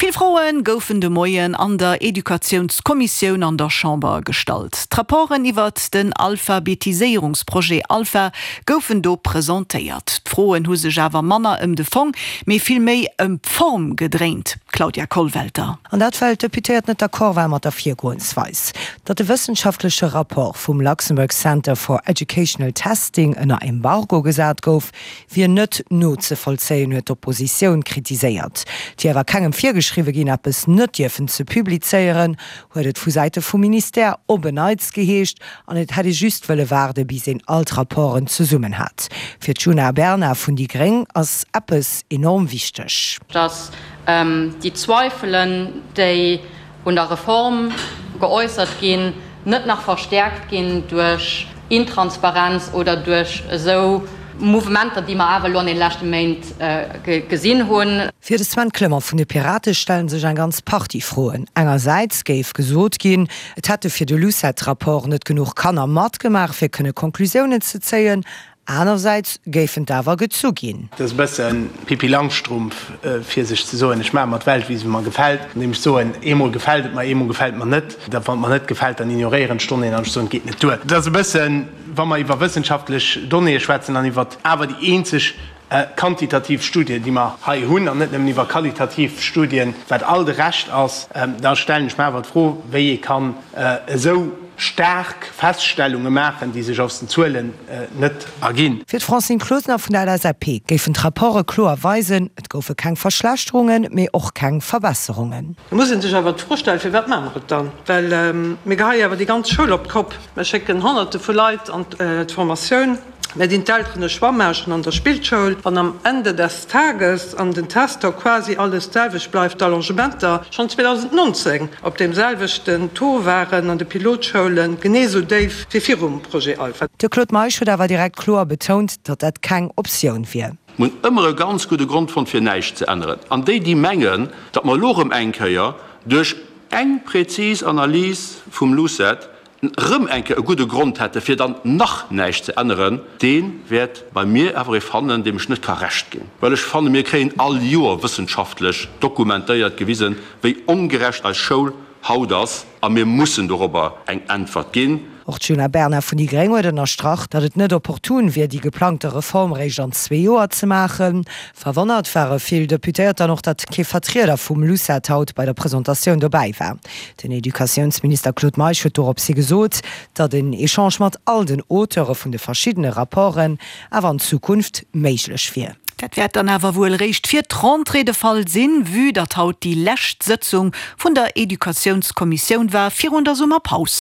Vill Froe goufen de Moien an der Educatiounskommissioun an der Chamber gestallt. D'Rapporten iwwert den Alphabetiséierungsprojet Alpha goufen do presentéiert. D'Froen hu sech awer manner ëm de Fong, mee vill méi ëm d'Form gedréint. Claudia Kollwelter. An dat well d'Deputéiert net d'accord war mat der Virgoensweis. Datt de wëssenschaftleche Rapport vum Luxembourg Center for Educational Testing ënner Embargo gesat gouf, wier net nozevollzéien, huet d'Oppositioun kritiséiert. Et wier awer kengem virgeschriwwe ginn, eppes net dierfen ze publizéieren, huet et vu Säite vum Ministère op en Neits geheescht, an et hätt ee just wëlle waarde bis een all d'Rapporten zesummen hat. Fir d'Djuna Bernard vun déi gréng ass eppes enorm wichteg. Datt déi Zweifelen, déi un der Reform geäussert ginn, net nach verstäerkt ginn duerch Intransparenz oder duerch esou Mouvementer, déi mer awer elo an deene leschte Méint gesinn hunn. Fir de Sven Clement vun de Pirate stelle sech eng ganz Partie Froen. Engersäits géif gesot ginn, et hätte fir de Lucet-Rapport net genuch Kanner matgemaach, fir kënne Conclusiounen ze zéien. Anersäits géifen d'awer gezu ginn. Et ass e bësse Pippi Langstrumpf, fir sech ze soen, ech maache mer d'Welt, wéi se mer gefält, andeem ech soen, eemol gefält et mer, eemol gefält et mer net. Da wann et mer net gefält, dann ignoréieren ech d'Donnéeën an ech soen, et geet net duer. Et ass e bëssen, wa mer iwwer wëssenschaftlech Donnéeë schwätzen an iwwer awer déi eenzeg quantitativ Studie, déi mer hei hunn, an net nëmmen iwwer qualitativ Studien, wat all de Rescht ass, da stellen ech mer awer d'Fro, wéi ee kann esou staark Feststellunge maachen, déi sech aus den Zuelen net erginn. Fir d'Francine Closener vun der LSAP géifen d'Rapporte kloer weisen, et goufe keng Verschlechterungen, mee och keng Verbesserungen. Da muss ee sech awer d'Fro stellen, Firwat maache mer et dann? Well mir geheie awer déi ganz Schoul op d'Kopp. Mir schécken Honnerte vu Leit an d'Formatioun. Mir dinn d'Elteren e Choix maachen an der Spillschoul. Wann am Ende des Tages an den Tester quasi alles d'selwecht bleift, d'Allongementer schonn 2019 op deem selwechten Taux waren an de Pilotschoulen, genee esou déif wéi virum Projet Alpha. De Claude Meisch huet awer direkt kloer betount, datt dat keng Optioun wier. Mir hunn ëmmer e ganz gudde Grond fonnt, fir näischt ze änneren. An déi, déi mengen, datt mer elo erëm eng Kéier duerch eng präzis Analys vum LUCET erëm eng Kéier e gudde Grond hätte fir dann nach näischt ze änneren, dee wäert bei mir awer ee fannen, deem ech net ka Recht ginn. Well ech fanne mir kréien all Joer wëssenschaftlech dokumentéiert gewisen, wéi ongerecht eis Schoul haut ass, a mir mussen dorobber eng Äntwert ginn. Och d'Djuna Bernard vun déi gréng huet ënnerstrach, datt et net opportun wier, déi geplangte Reform réischt an zwee Joer ze maachen. Verwonnert ware vill Deputéiert dann och, datt kee Vertrieder vum LUCET haut bei der Presentatioun dobäi war. Den Educatiounsminister Claude Meisch huet dorops hi gesot, datt en Echange mat all den Auteure vun de verschiddene Rapporten awer an Zukunft méiglech wier. Dat wäert dann awer wuel réischt fir d'Rentrée de Fall sinn, vue datt haut déi lescht Sëtzung vun der Educatiounskommissioun war virun der Summerpaus.